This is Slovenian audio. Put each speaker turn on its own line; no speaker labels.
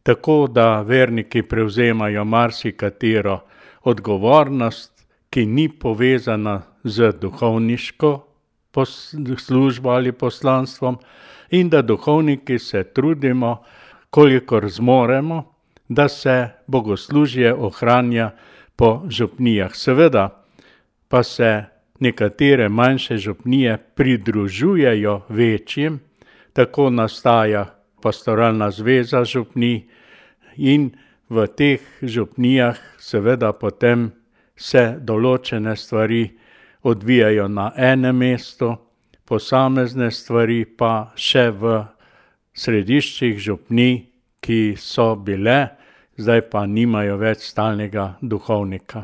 tako da verniki prevzemajo marsikatero odgovornost, ki ni povezana z duhovniško službo ali poslanstvom, in da duhovniki se trudimo, kolikor zmoremo, da se bogoslužje ohranja po župnijah. Seveda pa se nekatere manjše župnije pridružujejo večjim, tako nastaja pastoralna zveza župnij in v teh župnijah seveda potem se določene stvari odvijajo na enem mestu, posamezne stvari pa še v središčih župnij, ki so bile, zdaj pa nimajo več stalnega duhovnika.